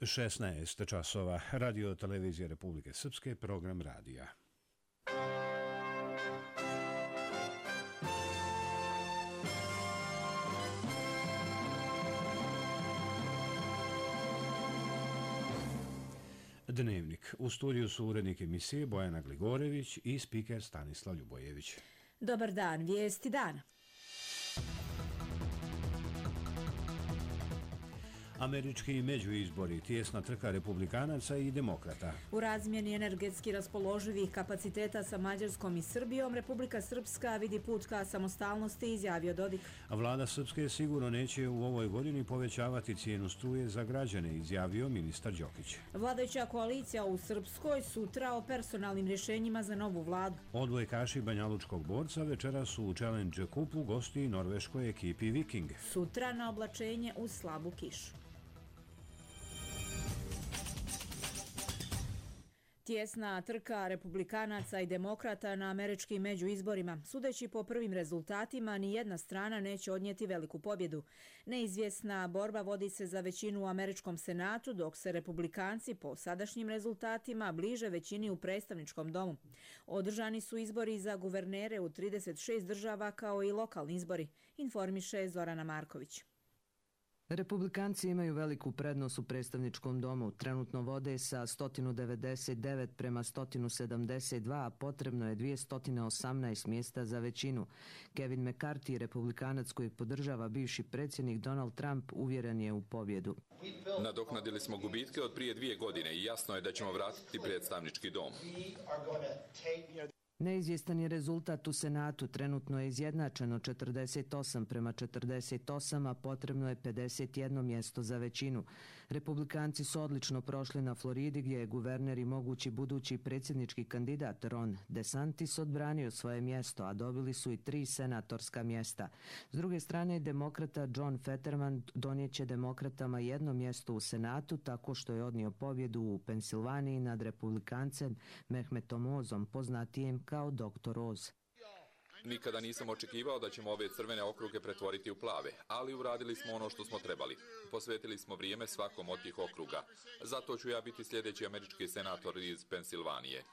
16 časova. Radio televizije Republike Srpske, program radija. Dnevnik. U studiju su urednik emisije Bojana Gligorević i spiker Stanislav Ljubojević. Dobar dan, vijesti dana. Američki međuizbori, tijesna trka republikanaca i demokrata. U razmjeni energetski raspoloživih kapaciteta sa Mađarskom i Srbijom, Republika Srpska vidi put ka samostalnosti, izjavio Dodik. Vlada Srpske sigurno neće u ovoj godini povećavati cijenu struje za građane, izjavio ministar Đokić. Vladajuća koalicija u Srpskoj sutra o personalnim rješenjima za novu vladu. Odbojkaši banjalučkog borca večeras su u Challenge Cupu gosti norveškoj ekipi Viking. Sutra na oblačenje uz slabu kišu. Tijesna trka republikanaca i demokrata na američkim međuizborima. Sudeći po prvim rezultatima, ni jedna strana neće odnijeti veliku pobjedu. Neizvjesna borba vodi se za većinu u američkom senatu, dok se republikanci po sadašnjim rezultatima bliže većini u predstavničkom domu. Održani su izbori za guvernere u 36 država kao i lokalni izbori, informiše Zorana Marković. Republikanci imaju veliku prednost u predstavničkom domu. Trenutno vode sa 199 prema 172, a potrebno je 218 mjesta za većinu. Kevin McCarthy, republikanac kojeg podržava bivši predsjednik Donald Trump, uvjeren je u pobjedu. Nadoknadili smo gubitke od prije 2 godine i jasno je da ćemo vratiti predstavnički dom. Neizvjestan je rezultat u Senatu, trenutno je izjednačeno 48 prema 48, a potrebno je 51 mjesto za većinu. Republikanci su odlično prošli na Floridi, gdje je guverner i mogući budući predsjednički kandidat Ron DeSantis odbranio svoje mjesto, a dobili su i 3 senatorska mjesta. S druge strane, demokrata John Fetterman donijeće demokratama jedno mjesto u Senatu tako što je odnio pobjedu u Pensilvaniji nad republikancem Mehmetom Ozom, poznatijem kao Dr. Oz. Nikada nisam očekivao da ćemo ove crvene okruge pretvoriti u plave, ali uradili smo ono što smo trebali. Posvetili smo vrijeme svakom od tih okruga. Zato ću ja biti sljedeći američki senator iz Pensilvanije.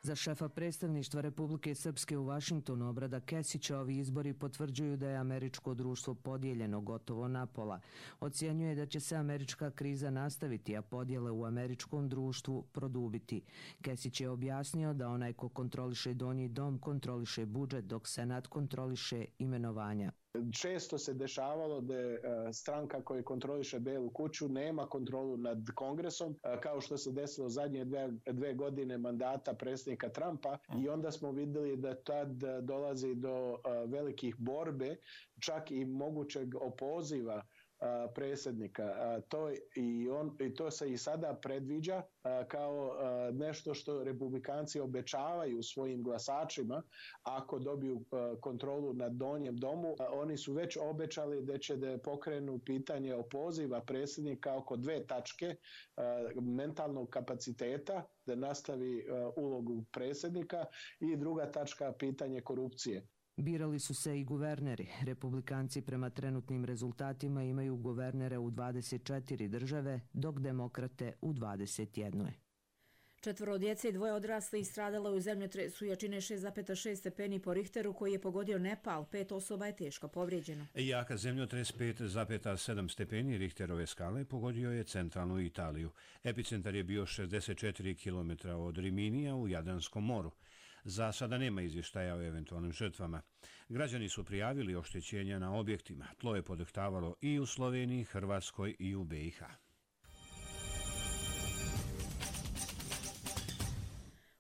Za šefa predstavništva Republike Srpske u Vašingtonu, Obrada Kesića, ovi izbori potvrđuju da je američko društvo podijeljeno gotovo napola. Ocjenjuje da će se američka kriza nastaviti, a podjele u američkom društvu produbiti. Kesić je objasnio da onaj ko kontroliše donji dom kontroliše budžet, dok Senat kontroliše imenovanja. Često se dešavalo da stranka koja kontroliše Belu kuću nema kontrolu nad Kongresom, kao što se desilo zadnje 2 godine mandata predsjednika Trumpa, i onda smo vidjeli da tad dolazi do velikih borbe, čak i mogućeg opoziva predsjednika. To se i sada predviđa kao nešto što republikanci obećavaju svojim glasačima ako dobiju kontrolu nad donjem domu. Oni su već obećali da će da pokrenu pitanje opoziva predsjednika oko 2 tačke: mentalnog kapaciteta, da nastavi ulogu predsjednika, i druga tačka pitanje korupcije. Birali su se i guverneri. Republikanci prema trenutnim rezultatima imaju guvernere u 24 države, dok demokrate u 21. 4 djece i 2 odraslih stradalo je u zemljotresu jačine 6,6 stepeni po Richteru koji je pogodio Nepal. 5 osoba je teško povrijeđeno. Jaka zemljotres 5,7 stepeni Richterove skale pogodio je centralnu Italiju. Epicentar je bio 64 km od Riminija u Jadranskom moru. Za sada nema izvještaja o eventualnim žrtvama. Građani su prijavili oštećenja na objektima. Tlo je podrhtavalo i u Sloveniji, Hrvatskoj i u BiH.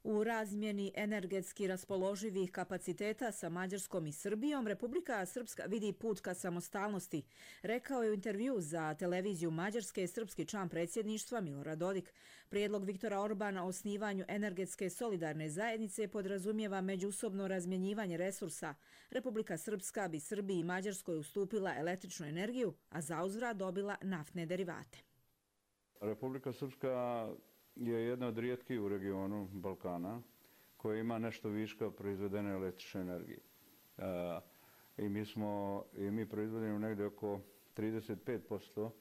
U razmjeni energetski raspoloživih kapaciteta sa Mađarskom i Srbijom, Republika Srpska vidi put ka samostalnosti, rekao je u intervju za televiziju Mađarske srpski član predsjedništva Milorad Dodik. Prijedlog Viktora Orbana o osnivanju energetske solidarne zajednice podrazumijeva međusobno razmjenjivanje resursa. Republika Srpska bi Srbiji i Mađarskoj ustupila električnu energiju, a zauzvrat dobila naftne derivate. Republika Srpska je jedna od rijetkih u regionu Balkana koja ima nešto viška proizvedene električne energije. I mi proizvodimo negdje oko 35%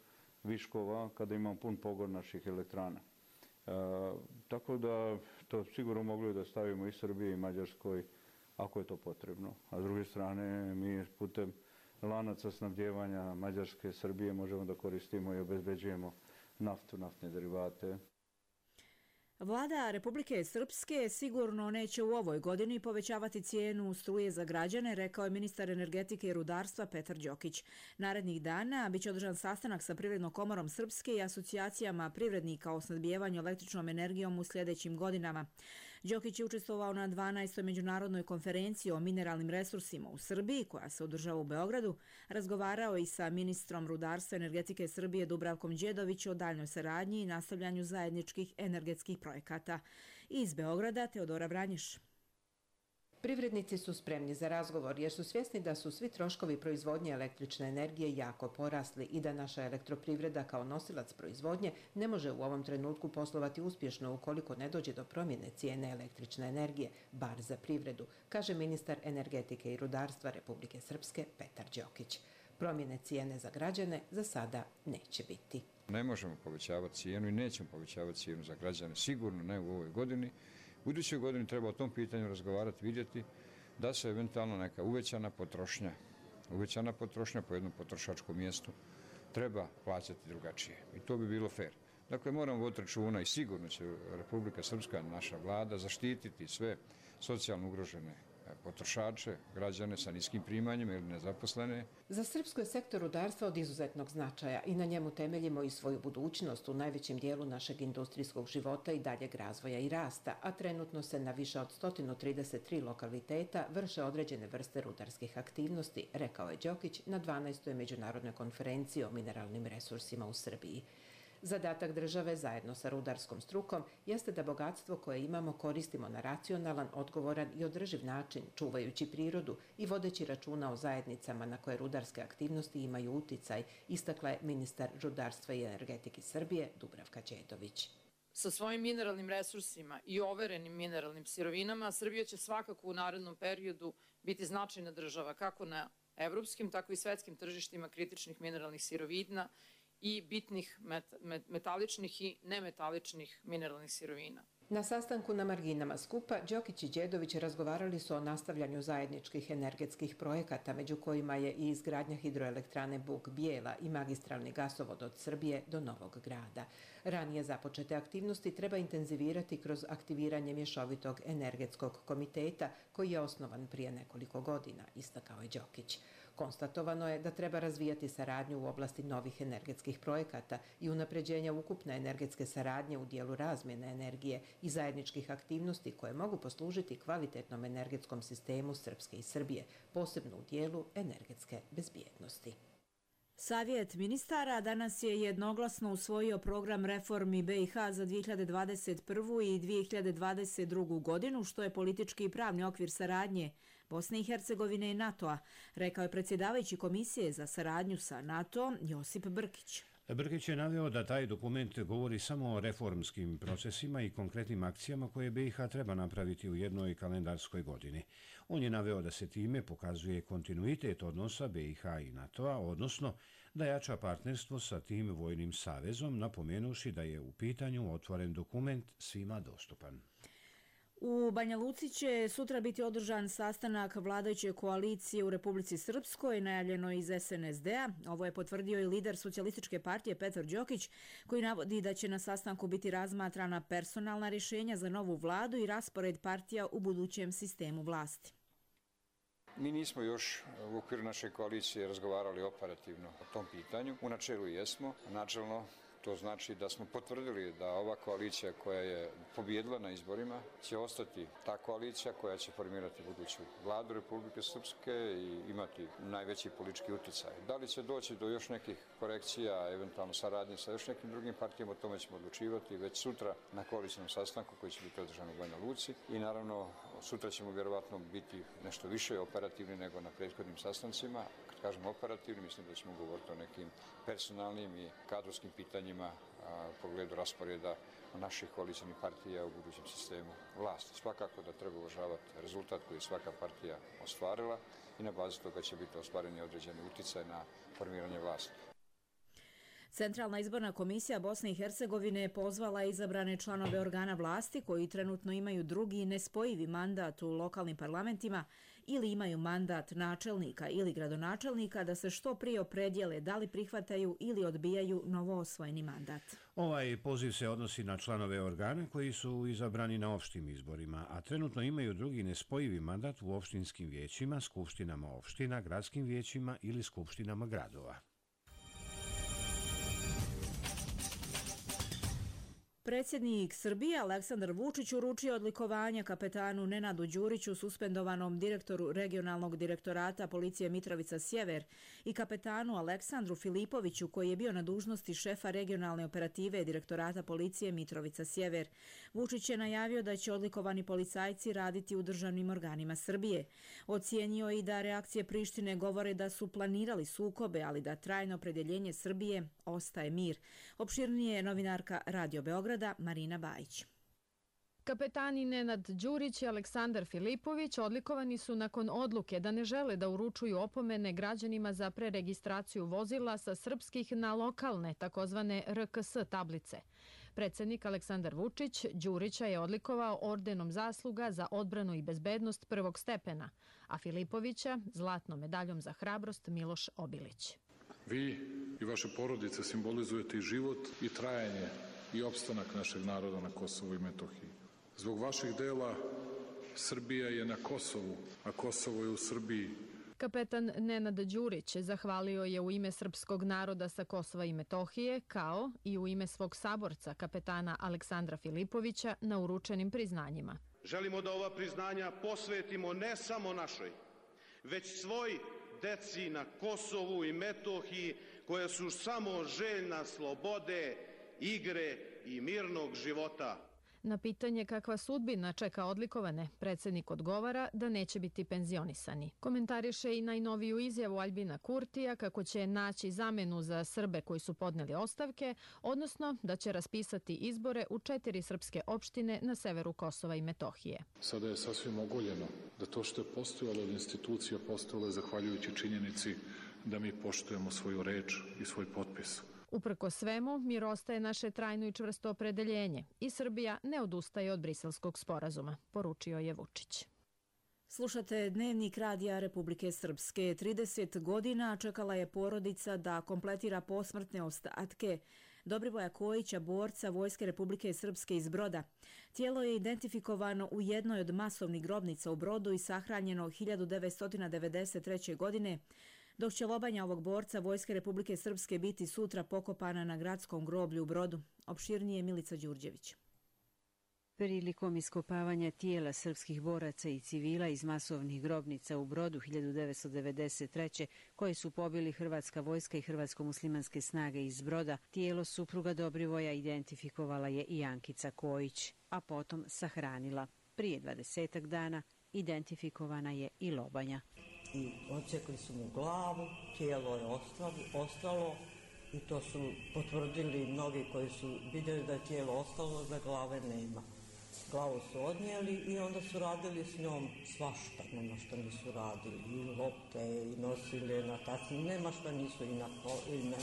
viškova kada imamo pun pogon naših elektrana. Tako da to sigurno mogli da stavimo i Srbiji i Mađarskoj ako je to potrebno. A s druge strane mi putem lanaca snabdjevanja Mađarske, Srbije možemo da koristimo i obezbeđujemo naftu, naftne derivate. Vlada Republike Srpske sigurno neće u ovoj godini povećavati cijenu struje za građane, rekao je ministar energetike i rudarstva Petar Đokić. Narednih dana biće održan sastanak sa Privrednom komorom Srpske i asocijacijama privrednika o snabdijevanju električnom energijom u sljedećim godinama. Đokić je učestvovao na 12. međunarodnoj konferenciji o mineralnim resursima u Srbiji, koja se održava u Beogradu, razgovarao i sa ministrom rudarstva i energetike Srbije Dubravkom Đedović o daljnjoj saradnji i nastavljanju zajedničkih energetskih projekata. Iz Beograda Teodora Vranješ. Privrednici su spremni za razgovor jer su svjesni da su svi troškovi proizvodnje električne energije jako porasli i da naša elektroprivreda kao nosilac proizvodnje ne može u ovom trenutku poslovati uspješno ukoliko ne dođe do promjene cijene električne energije, bar za privredu, kaže ministar energetike i rudarstva Republike Srpske Petar Đokić. Promjene cijene za građane za sada neće biti. Ne možemo povećavati cijenu i nećemo povećavati cijenu za građane, sigurno ne u ovoj godini. U idućoj godini treba o tom pitanju razgovarati, vidjeti da se eventualno neka uvećana potrošnja po jednom potrošačkom mjestu treba plaćati drugačije. I to bi bilo fair. Dakle, moramo voditi računa i sigurno će Republika Srpska, naša vlada, zaštititi sve socijalno ugrožene potrošače, građane sa niskim primanjima ili nezaposlene. Za Srpsko je sektor rudarstva od izuzetnog značaja i na njemu temeljimo i svoju budućnost u najvećem dijelu našeg industrijskog života i daljeg razvoja i rasta, a trenutno se na više od 133 lokaliteta vrše određene vrste rudarskih aktivnosti, rekao je Đokić na 12. međunarodnoj konferenciji o mineralnim resursima u Srbiji. Zadatak države zajedno sa rudarskom strukom jeste da bogatstvo koje imamo koristimo na racionalan, odgovoran i održiv način, čuvajući prirodu i vodeći računa o zajednicama na koje rudarske aktivnosti imaju uticaj, istakla je ministar rudarstva i energetike Srbije Dubravka Đedović. Sa svojim mineralnim resursima i overenim mineralnim sirovinama, Srbija će svakako u narednom periodu biti značajna država kako na evropskim, tako i svetskim tržištima kritičnih mineralnih sirovina i bitnih metaličnih i nemetaličnih mineralnih sirovina. Na sastanku na marginama skupa, Đokić i Đedović razgovarali su o nastavljanju zajedničkih energetskih projekata, među kojima je i izgradnja hidroelektrane Buk-Bijela i magistralni gasovod od Srbije do Novog Grada. Ranije započete aktivnosti treba intenzivirati kroz aktiviranje mješovitog energetskog komiteta koji je osnovan prije nekoliko godina, istakao je Đokić. Konstatovano je da treba razvijati saradnju u oblasti novih energetskih projekata i unapređenja ukupne energetske saradnje u dijelu razmjene energije i zajedničkih aktivnosti koje mogu poslužiti kvalitetnom energetskom sistemu Srpske i Srbije, posebno u dijelu energetske bezbjednosti. Savjet ministara danas je jednoglasno usvojio program reformi BiH za 2021. i 2022. godinu, što je politički i pravni okvir saradnje Bosne i Hercegovine i NATO-a, rekao je predsjedavajući Komisije za saradnju sa NATO Josip Brkić. Brkić je naveo da taj dokument govori samo o reformskim procesima i konkretnim akcijama koje BiH treba napraviti u jednoj kalendarskoj godini. On je naveo da se time pokazuje kontinuitet odnosa BiH i NATO-a, odnosno da jača partnerstvo sa tim vojnim savezom, napomenuši da je u pitanju otvoren dokument svima dostupan. U Banja Luci će sutra biti održan sastanak vladajuće koalicije u Republici Srpskoj, najavljeno iz SNSD-a. Ovo je potvrdio i lider Socijalističke partije Petar Đokić, koji navodi da će na sastanku biti razmatrana personalna rješenja za novu vladu i raspored partija u budućem sistemu vlasti. Mi nismo još u okviru naše koalicije razgovarali operativno o tom pitanju. U načelu jesmo, načelno to znači da smo potvrdili da ova koalicija koja je pobijedila na izborima će ostati ta koalicija koja će formirati buduću vladu Republike Srpske i imati najveći politički utjecaj. Da li će doći do još nekih korekcija, eventualno saradnje sa još nekim drugim partijama, o tome ćemo odlučivati već sutra na koalicijnom sastanku koji će biti održan u Banja Luci i naravno sutra ćemo vjerovatno biti nešto više operativni nego na prethodnim sastancima. Kad kažem operativni, mislim da ćemo govoriti o nekim personalnim i kadrovskim pitanjima u pogledu rasporeda naših koalicijnih partija u budućem sistemu vlasti. Svakako da treba uvažavati rezultat koji je svaka partija ostvarila i na bazi toga će biti ostvareni određeni utjecaj na formiranje vlasti. Centralna izborna komisija Bosne i Hercegovine pozvala izabrane članove organa vlasti koji trenutno imaju drugi nespojivi mandat u lokalnim parlamentima ili imaju mandat načelnika ili gradonačelnika da se što prije opredijele da li prihvataju ili odbijaju novoosvojeni mandat. Ovaj poziv se odnosi na članove organa koji su izabrani na opštim izborima, a trenutno imaju drugi nespojivi mandat u opštinskim vijećima, skupštinama opština, gradskim vijećima ili skupštinama gradova. Predsjednik Srbije Aleksandar Vučić uručio odlikovanja kapetanu Nenadu Đuriću, suspendovanom direktoru regionalnog direktorata policije Mitrovica Sjever, i kapetanu Aleksandru Filipoviću, koji je bio na dužnosti šefa regionalne operative direktorata policije Mitrovica Sjever. Vučić je najavio da će odlikovani policajci raditi u državnim organima Srbije. Ocijenio i da reakcije Prištine govore da su planirali sukobe, ali da trajno opredjeljenje Srbije ostaje mir. Opširnije je novinarka Radio Beograda Marina Bajić. Kapetani Nenad Đurić i Aleksandar Filipović odlikovani su nakon odluke da ne žele da uručuju opomene građanima za preregistraciju vozila sa srpskih na lokalne, takozvane RKS tablice. Predsjednik Aleksandar Vučić Đurića je odlikovao ordenom zasluga za odbranu i bezbednost prvog stepena, a Filipovića zlatnom medaljom za hrabrost Miloš Obilić. Vi i vaše porodice simbolizujete i život i trajanje i opstanak našeg naroda na Kosovu i Metohiji. Zbog vaših dela Srbija je na Kosovu, a Kosovo je u Srbiji. Kapetan Nenad Đurić zahvalio je u ime srpskog naroda sa Kosova i Metohije, kao i u ime svog saborca, kapetana Aleksandra Filipovića, na uručenim priznanjima. Želimo da ova priznanja posvetimo ne samo našoj, već svoj deci na Kosovu i Metohiji, koja su samo željna slobode, igre i mirnog života. Na pitanje kakva sudbina čeka odlikovane, predsjednik odgovara da neće biti penzionisani. Komentariše i najnoviju izjavu Aljbina Kurtija kako će naći zamenu za Srbe koji su podneli ostavke, odnosno da će raspisati izbore u 4 srpske opštine na severu Kosova i Metohije. Sada je sasvim ogoljeno da to što je postojalo od institucija postojalo je zahvaljujući činjenici da mi poštujemo svoju reč i svoj potpis. Uprko svemu, mir ostaje naše trajno i čvrsto opredeljenje i Srbija ne odustaje od Briselskog sporazuma, poručio je Vučić. Slušate Dnevnik Radija Republike Srpske. 30 godina čekala je porodica da kompletira posmrtne ostatke Dobrivoja Kojića, borca Vojske Republike Srpske iz Broda. Tijelo je identifikovano u jednoj od masovnih grobnica u Brodu i sahranjeno 1993. godine, dok će lobanja ovog borca Vojske Republike Srpske biti sutra pokopana na gradskom groblju u Brodu. Opširnije Milica Đurđević. Prilikom iskopavanja tijela srpskih boraca i civila iz masovnih grobnica u Brodu 1993. koje su pobili Hrvatska vojska i Hrvatsko-muslimanske snage iz Broda, tijelo supruga Dobrivoja identifikovala je i Ankica Kojić, a potom sahranila. Prije 20 dana identifikovana je i lobanja. I odsekli su mu glavu, tijelo je ostalo i to su potvrdili mnogi koji su vidjeli da je tijelo ostalo, da glave nema. Glavu su odnijeli i onda su radili s njom svašta, nema što nisu radili, i lopte, i nosile na taci, nema što nisu, i na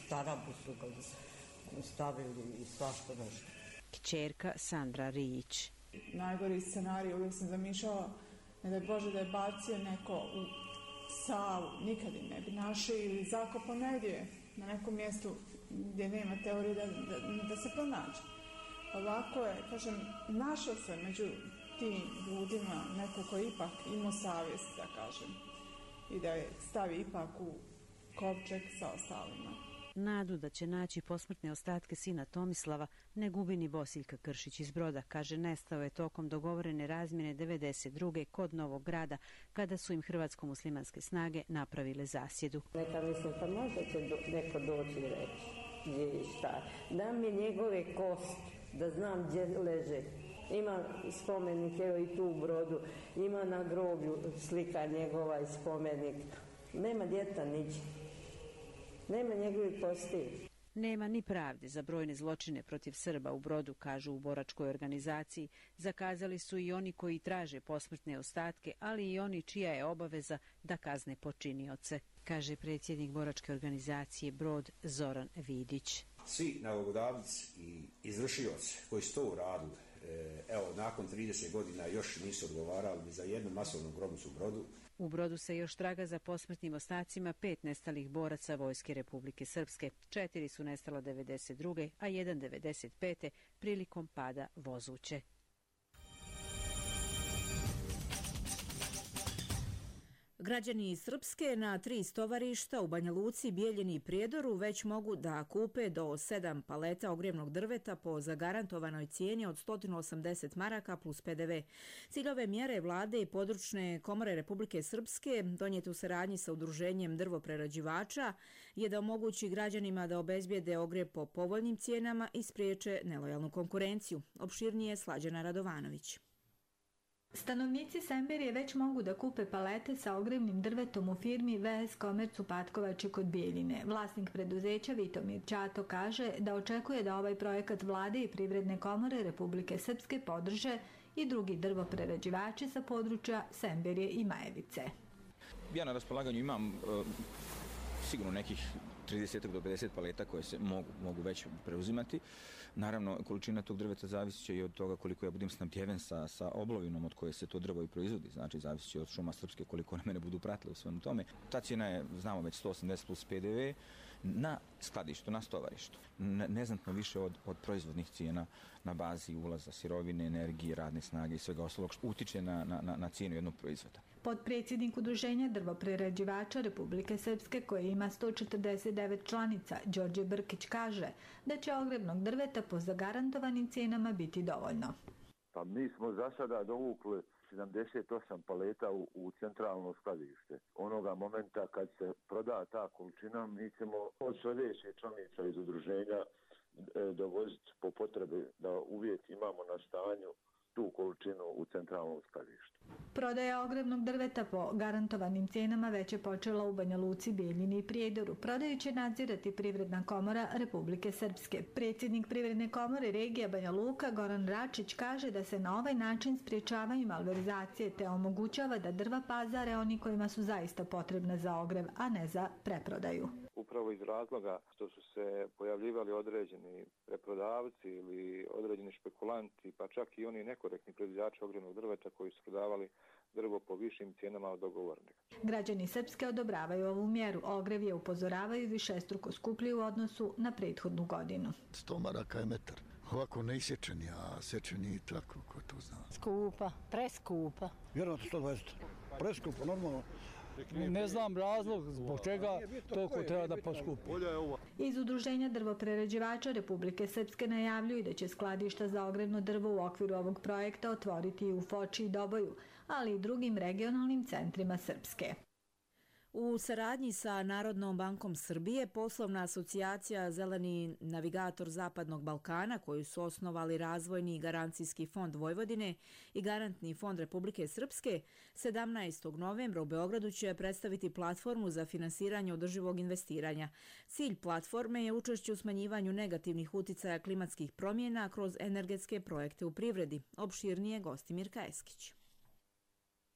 tarabu su ga stavili i svašta nešto. Kćerka Sandra Rijić. Najgori scenarij uvijek sam zamišljala, ne da je Bože da je bacio neko u Savu, nikad im ne bi našli ili zakopao negdje na nekom mjestu gdje nema teorije da se pronađe. Ovako je, kažem, našao se među tim ljudima neko koji ipak imao savjest, da kažem, i da je stavi ipak u kovčeg sa ostalima. Nadu da će naći posmrtne ostatke sina Tomislava ne gubi ni Bosiljka Kršić iz Broda. Kaže, nestao je tokom dogovorene razmjene 92. kod Novog Grada, kada su im hrvatsko-muslimanske snage napravile zasjedu. Neka mislim, pa možda će neko doći i reći gdje je šta. Dam mi njegove kosti, da znam gdje leže. Ima spomenik, evo i tu u Brodu, ima na groblju slika njegova i spomenik. Nema djeta niđe. Nema njegovih kosti. Nema ni pravde za brojne zločine protiv Srba u Brodu, kažu u boračkoj organizaciji. Zakazali su i oni koji traže posmrtne ostatke, ali i oni čija je obaveza da kazne počinioce, kaže predsjednik boračke organizacije Brod Zoran Vidić. Svi nalogodavci i izvršioci koji su to uradili, evo, nakon 30 godina još nisu odgovarali za jednu masovnu grobnicu u Brodu. U Brodu se još traga za posmrtnim ostacima 5 nestalih boraca Vojske Republike Srpske. 4 su nestala 92. a 1 95. prilikom pada Vozuće. Građani iz Srpske na 3 stovarišta u Banja Luci, Bijeljini i Prijedoru već mogu da kupe do 7 paleta ogrjevnog drveta po zagarantovanoj cijeni od 180 maraka plus PDV. Cilj ove mjere vlade i područne komore Republike Srpske, donijete u saradnji sa udruženjem drvoprerađivača, je da omogući građanima da obezbijede ogrjev po povoljnim cijenama i spriječe nelojalnu konkurenciju. Opširnije Slađana Radovanović. Stanovnici Semberije već mogu da kupe palete sa ogrjevnim drvetom u firmi VS Komerc u Patkovači kod Bijeljine. Vlasnik preduzeća Vitomir Ćato kaže da očekuje da ovaj projekat vlade i Privredne komore Republike Srpske podrže i drugi drvoprerađivači sa područja Semberije i Majevice. Ja na raspolaganju imam sigurno nekih 30 do 50 paleta koje se mogu već preuzimati. Naravno, količina tog drveta zavisit će i od toga koliko ja budem snabdjeven sa oblovinom od koje se to drvo i proizvodi. Znači, zavisit će od šuma Srpske koliko na mene budu pratili u svemu tome. Ta cijena je, znamo, već 180 plus PDV na skladištu, na stovarištu. Neznatno više od proizvodnih cijena na bazi ulaza sirovine, energije, radne snage i svega ostalog što utiče na cijenu jednog proizvoda. Potpredsjednik Udruženja drvoprerađivača Republike Srpske, koje ima 149 članica, Đorđe Brkić kaže da će ogrjevnog drveta po zagarantovanim cijenama biti dovoljno. Pa mi smo za sada dovukli 78 paleta u centralno skladište. Onoga momenta kad se proda ta količina, mi ćemo od sljedećih članica iz udruženja dovoziti po potrebi da uvijek imamo na stanju tu količinu u centralnom skladištu. Prodaja ogrjevnog drveta po garantovanim cijenama već je počela u Banja Luci, Bijeljini i Prijedoru. Prodaju će nadzirati Privredna komora Republike Srpske. Predsjednik Privredne komore regija Banja Luka, Goran Račić, kaže da se na ovaj način spriječavaju malverzacije te omogućava da drva pazare oni kojima su zaista potrebna za ogrjev, a ne za preprodaju. Upravo iz razloga što su se pojavljivali određeni preprodavci ili određeni špekulanti, pa čak i oni nekorektni proizvođači ogrjevnog drveta koji su prodavali drvo po višim cijenama od dogovornih. Građani Srpske odobravaju ovu mjeru. Ogrjev je, upozoravaju, višestruko skuplji u odnosu na prethodnu godinu. 100 maraka je metar. Ovako ne isječeni, a sečeni tako, ko to zna. Skupa, preskupa. Vjerojatno 120. Preskupa, normalno. Ne znam razlog zbog čega toliko treba da poskupi. Iz Udruženja drvoprerađivača Republike Srpske najavljuju da će skladišta za ogrjevno drvo u okviru ovog projekta otvoriti i u Foči i Doboju, ali i drugim regionalnim centrima Srpske. U saradnji sa Narodnom bankom Srbije, poslovna asocijacija Zeleni navigator Zapadnog Balkana, koju su osnovali Razvojni i garancijski fond Vojvodine i Garantni fond Republike Srpske, 17. novembra u Beogradu će predstaviti platformu za finansiranje održivog investiranja. Cilj platforme je učešće u smanjivanju negativnih uticaja klimatskih promjena kroz energetske projekte u privredi. Opširnije Gostimir Kajeskić.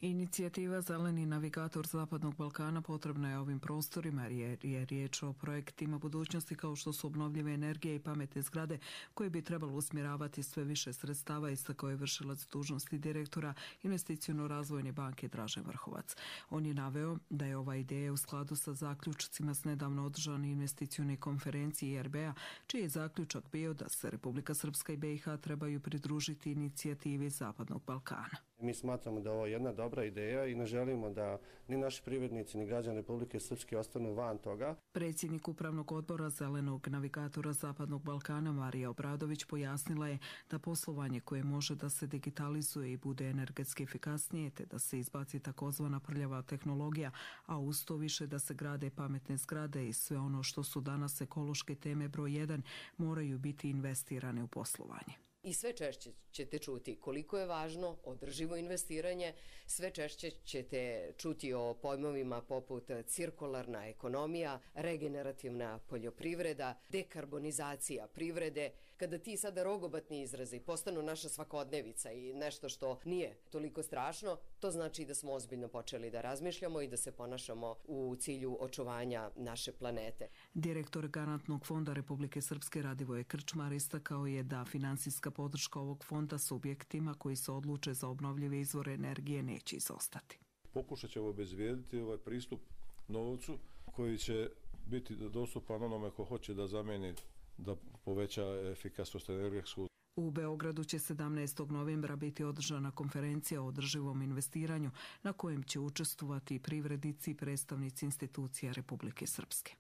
Inicijativa Zeleni navigator Zapadnog Balkana potrebna je ovim prostorima jer je riječ o projektima budućnosti kao što su obnovljive energije i pametne zgrade koje bi trebalo usmjeravati sve više sredstava, istakao je vršilac dužnosti direktora Investiciono-razvojne banke Dražen Vrhovac. On je naveo da je ova ideja u skladu sa zaključcima s nedavno održane investicione konferencije IRB-a, čiji je zaključak bio da se Republika Srpska i BiH trebaju pridružiti inicijativi Zapadnog Balkana. Mi smatramo da je ovo jedna dobra ideja i ne želimo da ni naši privrednici ni građani Republike Srpske ostanu van toga. Predsjednik Upravnog odbora Zelenog navigatora Zapadnog Balkana Marija Obradović pojasnila je da poslovanje koje može da se digitalizuje i bude energetski efikasnije te da se izbaci takozvana prljava tehnologija, a uz to više da se grade pametne zgrade i sve ono što su danas ekološke teme broj 1 moraju biti investirane u poslovanje. I sve češće ćete čuti koliko je važno održivo investiranje, sve češće ćete čuti o pojmovima poput cirkularna ekonomija, regenerativna poljoprivreda, dekarbonizacija privrede. Kada ti sada rogobatni izrazi postanu naša svakodnevica i nešto što nije toliko strašno, to znači da smo ozbiljno počeli da razmišljamo i da se ponašamo u cilju očuvanja naše planete. Direktor Garantnog fonda Republike Srpske Radivoje Krčmar istakao je da finansijska podrška ovog fonda subjektima koji se odluče za obnovljive izvore energije neće izostati. Pokušat ćemo obezbijediti ovaj pristup novcu koji će biti dostupan onome ko hoće da zameni, da poveća efikasnost energetsku. U Beogradu će 17. novembra biti održana konferencija o održivom investiranju na kojem će učestvovati privrednici i predstavnici institucija Republike Srpske.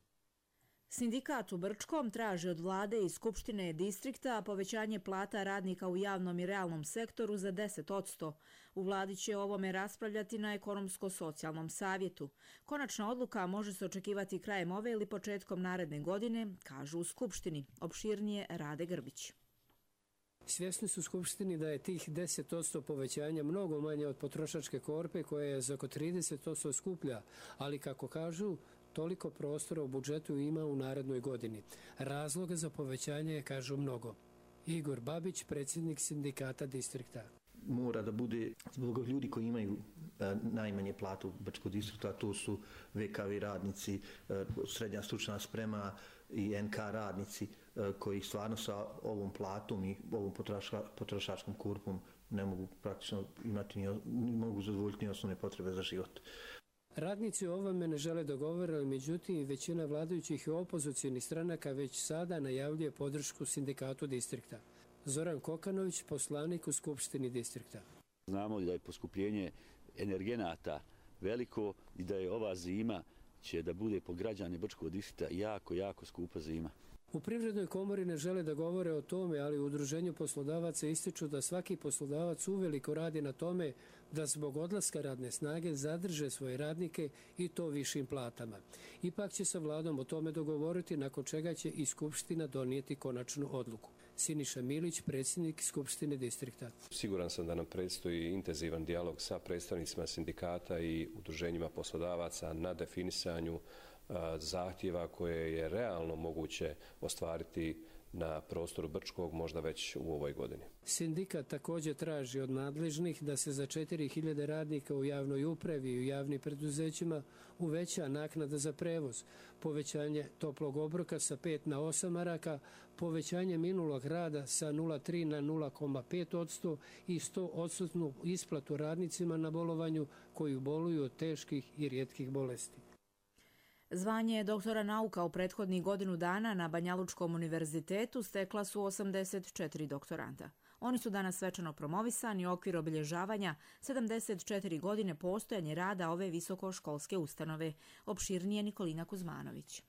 Sindikat u Brčkom traži od vlade i Skupštine distrikta povećanje plata radnika u javnom i realnom sektoru za 10%. U vladi će o ovome raspravljati na ekonomsko-socijalnom savjetu. Konačna odluka može se očekivati krajem ove ili početkom naredne godine, kažu u Skupštini. Opširnije Rade Grbić. Svjesni su Skupštini da je tih 10% povećanja mnogo manje od potrošačke korpe koja je za oko 30% skuplja, ali kako kažu, toliko prostora u budžetu ima u narednoj godini. Razloga za povećanje je, kažu, mnogo. Igor Babić, predsjednik sindikata distrikta. Mora da bude zbog ljudi koji imaju najmanje platu Brčkog distrikta, to su VKV radnici, srednja stručna sprema i NK radnici koji stvarno sa ovom platom i ovom potrošačkom korpom ne mogu praktično imati, ne mogu zadovoljiti ni osnovne potrebe za život. Radnici o ovome ne žele dogovoriti, međutim većina vladajućih i opozicionih stranaka već sada najavljuje podršku sindikatu distrikta. Zoran Kokanović, poslanik u Skupštini distrikta. Znamo da je poskupljenje energenata veliko i da je ova zima će da bude po građane Brčkog distrikta jako skupa zima. U Privrednoj komori ne žele da govore o tome, ali u Udruženju poslodavaca ističu da svaki poslodavac uveliko radi na tome da zbog odlaska radne snage zadrže svoje radnike i to višim platama. Ipak će sa vladom o tome dogovoriti, nakon čega će i Skupština donijeti konačnu odluku. Siniša Milić, predsjednik Skupštine distrikta. Siguran sam da nam predstoji intenzivan dijalog sa predstavnicima sindikata i udruženjima poslodavaca na definisanju zahtjeva koje je realno moguće ostvariti na prostoru Brčkog možda već u ovoj godini. Sindikat također traži od nadležnih da se za 4000 radnika u javnoj upravi i u javnim preduzećima uveća naknada za prevoz, povećanje toplog obroka sa 5 na 8 maraka, povećanje minulog rada sa 0,3 na 0,5% i 100% isplatu radnicima na bolovanju koji boluju od teških i rijetkih bolesti. Zvanje doktora nauka u prethodnih godinu dana na Banjalučkom univerzitetu stekla su 84 doktoranta. Oni su danas svečano promovisani u okviru obilježavanja 74 godine postojanja rada ove visokoškolske ustanove. Opširnije Nikolina Kuzmanović.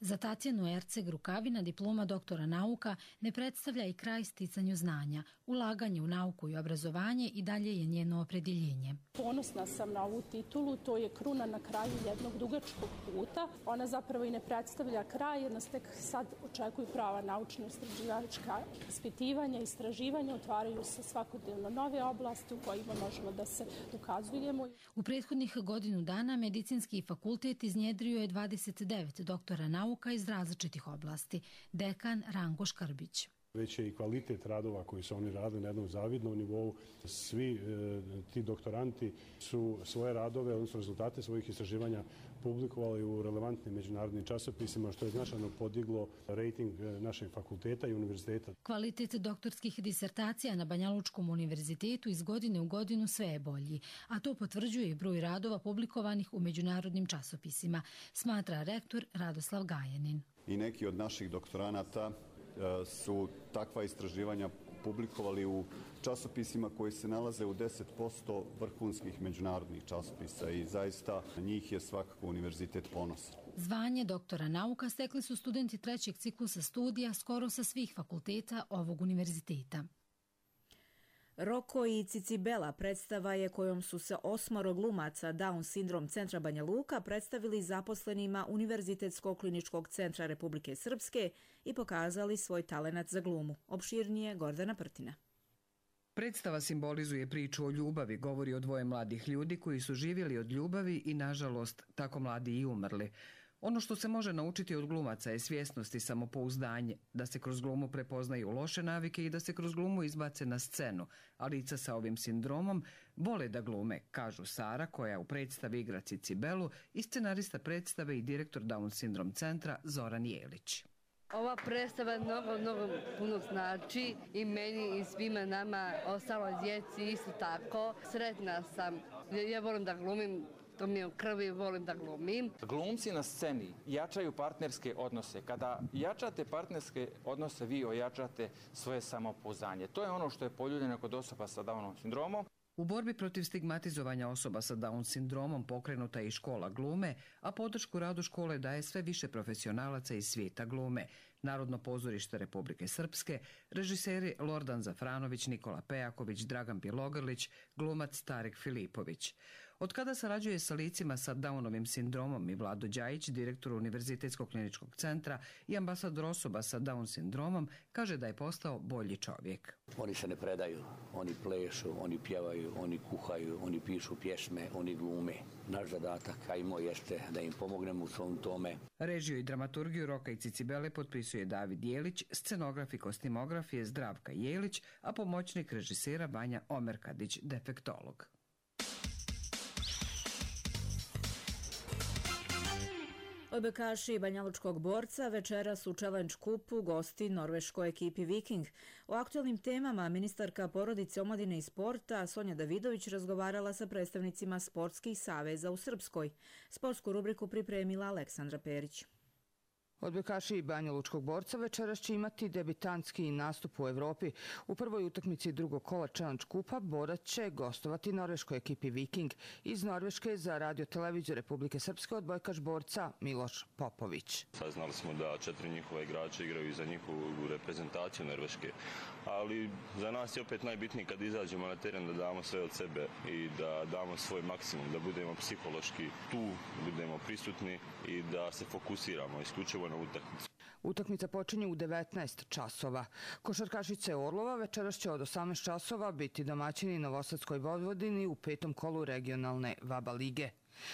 Za Tatjanu Erceg Rukavina diploma doktora nauka ne predstavlja i kraj sticanju znanja. Ulaganje u nauku i obrazovanje i dalje je njeno opredjeljenje. Ponosna sam na ovu titulu, to je kruna na kraju jednog dugačkog puta. Ona zapravo i ne predstavlja kraj, jer nas tek sad očekuju prava naučno-istraživačka ispitivanja, istraživanja, otvaraju se svakodnevno nove oblasti u kojima možemo da se dokazujemo. U prethodnih godinu dana Medicinski fakultet iznjedrio je 29 doktora nauka iz različitih oblasti. Dekan Ranko Škrbić. Već je i kvalitet radova koji su oni radili na jednom zavidnom nivou. Svi ti doktoranti su svoje radove, odnosno rezultate svojih istraživanja publikovali u relevantnim međunarodnim časopisima, što je značajno podiglo rejting našeg fakulteta i univerziteta. Kvalitet doktorskih disertacija na Banjalučkom univerzitetu iz godine u godinu sve je bolji, a to potvrđuje i broj radova publikovanih u međunarodnim časopisima, smatra rektor Radoslav Gajanin. I neki od naših doktoranata su takva istraživanja publikovali u časopisima koji se nalaze u 10% vrhunskih međunarodnih časopisa i zaista njih je svakako univerzitet ponosan. Zvanje doktora nauka stekli su studenti trećeg ciklusa studija skoro sa svih fakulteta ovog univerziteta. Roko i Cicibela predstava je kojom su se 8 glumaca Down sindrom centra Banja Luka predstavili zaposlenima Univerzitetskog kliničkog centra Republike Srpske i pokazali svoj talenat za glumu. Opširnije Gordana Prtina. Predstava simbolizuje priču o ljubavi, govori o dvoje mladih ljudi koji su živjeli od ljubavi i, nažalost, tako mladi i umrli. Ono što se može naučiti od glumaca je svjesnost i samopouzdanje, da se kroz glumu prepoznaju loše navike i da se kroz glumu izbace na scenu, a lica sa ovim sindromom vole da glume, kažu Sara, koja u predstavi igra Cicibelu, i scenarista predstave i direktor Down sindrom centra Zoran Jelić. Ova predstava mnogo puno znači i meni i svima nama, ostalo djeci isto tako. Sretna sam, ja volim da glumim. To mi je u krvi, volim da glumim. Glumci na sceni jačaju partnerske odnose. Kada jačate partnerske odnose, vi ojačate svoje samopouzdanje. To je ono što je poljuljeno kod osoba sa Downom sindromom. U borbi protiv stigmatizovanja osoba sa Down sindromom pokrenuta je i škola glume, a podršku radu škole daje sve više profesionalaca iz svijeta glume. Narodno pozorište Republike Srpske, režiseri Lordan Zafranović, Nikola Pejaković, Dragan Bjelogrlić, glumac Tarek Filipović. Od kada sarađuje sa licima sa Downovim sindromom i Vlado Đajić, direktor Univerzitetskog kliničkog centra i ambasador osoba sa Down sindromom, kaže da je postao bolji čovjek. Oni se ne predaju, oni plešu, oni pjevaju, oni kuhaju, oni pišu pjesme, oni glume. Naš zadatak, a i moj, jeste da im pomognemo u svom tome. Režiju i dramaturgiju Roka i Cicibele potpisuje David Jelić, scenograf i kostimograf je Zdravka Jelić, a pomoćnik režisera Vanja Omerkadić, defektolog. Odbojkaši Banjalučkog borca večeras u Challenge Cupu gosti norveškoj ekipi Viking. O aktualnim temama ministarka porodice, omladine i sporta Sonja Davidović razgovarala sa predstavnicima sportskih saveza u Srpskoj. Sportsku rubriku pripremila Aleksandra Perić. Odbojkaši Banja Lučkog borca večeras će imati debitanski nastup u Evropi. U prvoj utakmici drugog kola Challenge Kupa borac će gostovati norveškoj ekipi Viking. Iz Norveške za Radio-televiziju Republike Srpske odbojkaš borca Miloš Popović. Saznali smo da 4 njihova igrača igraju za njihovu reprezentaciju Norveške, ali za nas je opet najbitnije kad izađemo na teren da damo sve od sebe i da damo svoj maksimum, da budemo psihološki tu, da budemo prisutni i da se fokusiramo isključivo na utakmicu. Utakmica počinje u 19 časova. Košarkašice Orlova večeras će od 18 časova biti domaćini Novosadskoj Vojvodini u 5. kolu regionalne VABA lige.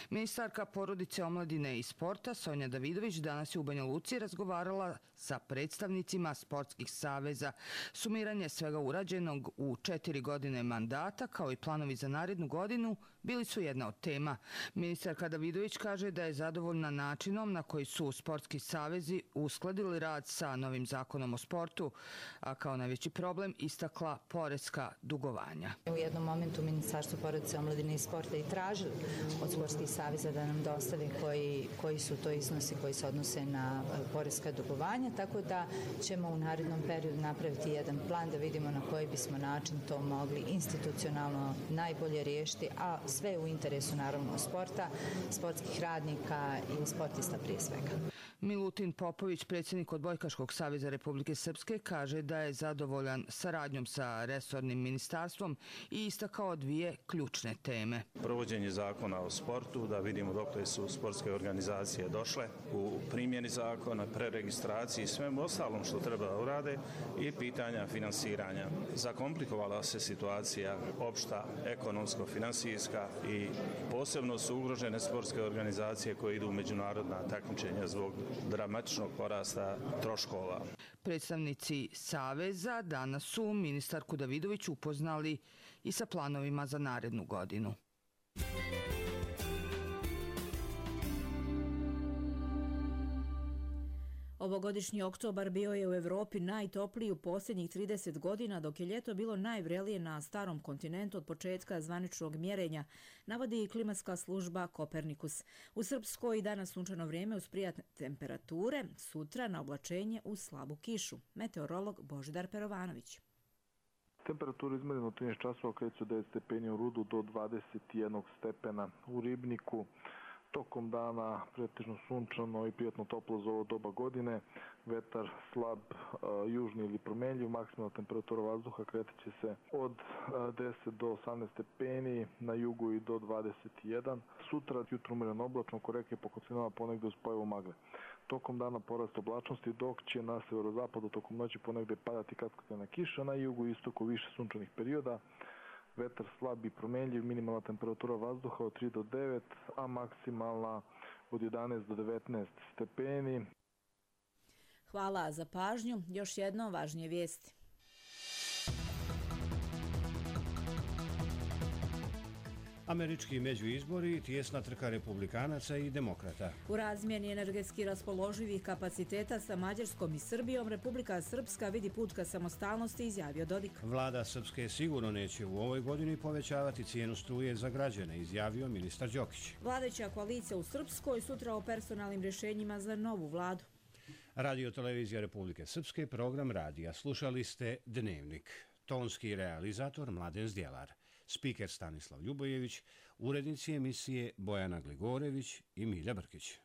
Ministarka porodice, omladine i sporta Sonja Davidović danas je u Banja Luci razgovarala sa predstavnicima sportskih saveza. Sumiranje svega urađenog u 4 godine mandata, kao i planovi za narednu godinu, bili su jedna od tema. Ministarka Davidović kaže da je zadovoljna načinom na koji su sportski savezi uskladili rad sa novim zakonom o sportu, a kao najveći problem istakla poreska dugovanja. U jednom momentu Ministarstvo porodice, omladine i sporta i tražili od sportskih saveza da nam dostave koji su to iznosi koji se odnose na poreska dugovanja, tako da ćemo u narednom periodu napraviti jedan plan da vidimo na koji bismo način to mogli institucionalno najbolje riješiti, a sve u interesu naravno sporta, sportskih radnika i sportista prije svega. Milutin Popović, predsjednik Odbojkaškog saveza Republike Srpske, kaže da je zadovoljan saradnjom sa resornim ministarstvom i istakao dvije ključne teme. Provođenje zakona o sportu, da vidimo dokle su sportske organizacije došle u primjeni zakona, preregistraciji i svem ostalom što treba da urade, i pitanja finansiranja. Zakomplikovala se situacija opšta, ekonomsko-finansijska, i posebno su ugrožene sportske organizacije koje idu u međunarodna takmičenja zbog dramatičnog porasta troškova. Predstavnici saveza danas su ministarku Davidović upoznali i sa planovima za narednu godinu. Ovogodišnji oktobar bio je u Evropi najtopliji u posljednjih 30 godina, dok je ljeto bilo najvrelije na starom kontinentu od početka zvaničnog mjerenja, navodi i klimatska služba Kopernikus. U Srpskoj danas sunčano vrijeme uz prijatne temperature, sutra na oblačenje uz slabu kišu. Meteorolog Božidar Perovanović. Temperatura izmerena od 13 časova kreće od 9 stepeni u Rudu do 21 stepena u Ribniku. Tokom dana pretežno sunčano i prijatno toplo za ovo doba godine, vetar slab južni ili promenljiv, maksimalna temperatura vazduha kretaće se od 10 do 18 stepeni, na jugu i do 21. Sutra jutro umjereno oblačno, oko reke po kocinama ponegde uz pojavu magle. Tokom dana porast oblačnosti, dok će na severozapadu tokom noći ponegde padati kaskadna kiša, na jugu i istoku više sunčanih perioda. Vetar slab i promenljiv, minimalna temperatura vazduha od 3 do 9, a maksimalna od 11 do 19 stepeni. Hvala za pažnju. Još jednom važnije vijesti. Američki međuizbori, tijesna trka republikanaca i demokrata. U razmjeni energetski raspoloživih kapaciteta sa Mađarskom i Srbijom, Republika Srpska vidi put ka samostalnosti, izjavio Dodik. Vlada Srpske sigurno neće u ovoj godini povećavati cijenu struje za građane, izjavio ministar Đokić. Vladajuća koalicija u Srpskoj sutra o personalnim rješenjima za novu vladu. Radio televizija Republike Srpske, program radija. Slušali ste Dnevnik. Tonski realizator Mladen Zdjelar. Spiker Stanislav Ljubojević, urednici emisije Bojana Gligorević i Milja Brkić.